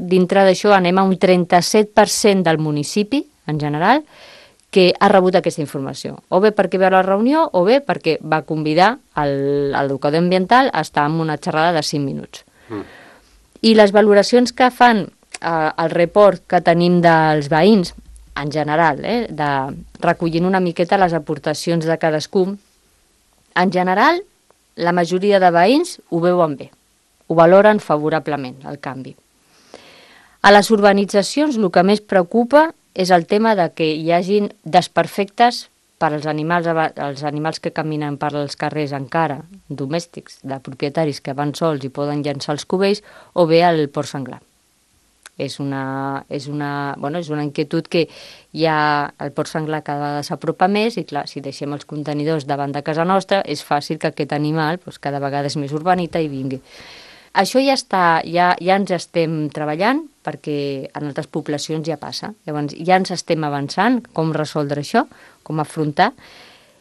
dintre d'això anem a un 37% del municipi, en general, que ha rebut aquesta informació. O bé perquè veu la reunió, o bé perquè va convidar l'educador ambiental a estar en una xerrada de 5 minuts. I les valoracions que fan el report que tenim dels veïns, en general, de recollint una miqueta les aportacions de cadascú, en general, la majoria de veïns ho veuen bé, ho valoren favorablement, el canvi. A les urbanitzacions el que més preocupa és el tema de que hi hagin desperfectes per als animals que caminen per als carrers encara, domèstics, de propietaris que van sols i poden llançar els cubells, o bé el porc senglar. És una inquietud que hi ha el porc senglar cada vegada s'apropa més i clar, si deixem els contenidors davant de casa nostra és fàcil que aquest animal cada vegada és més urbanita i vingui. Això ja ens estem treballant perquè en altres poblacions ja passa. Llavors ja ens estem avançant com resoldre això, com afrontar,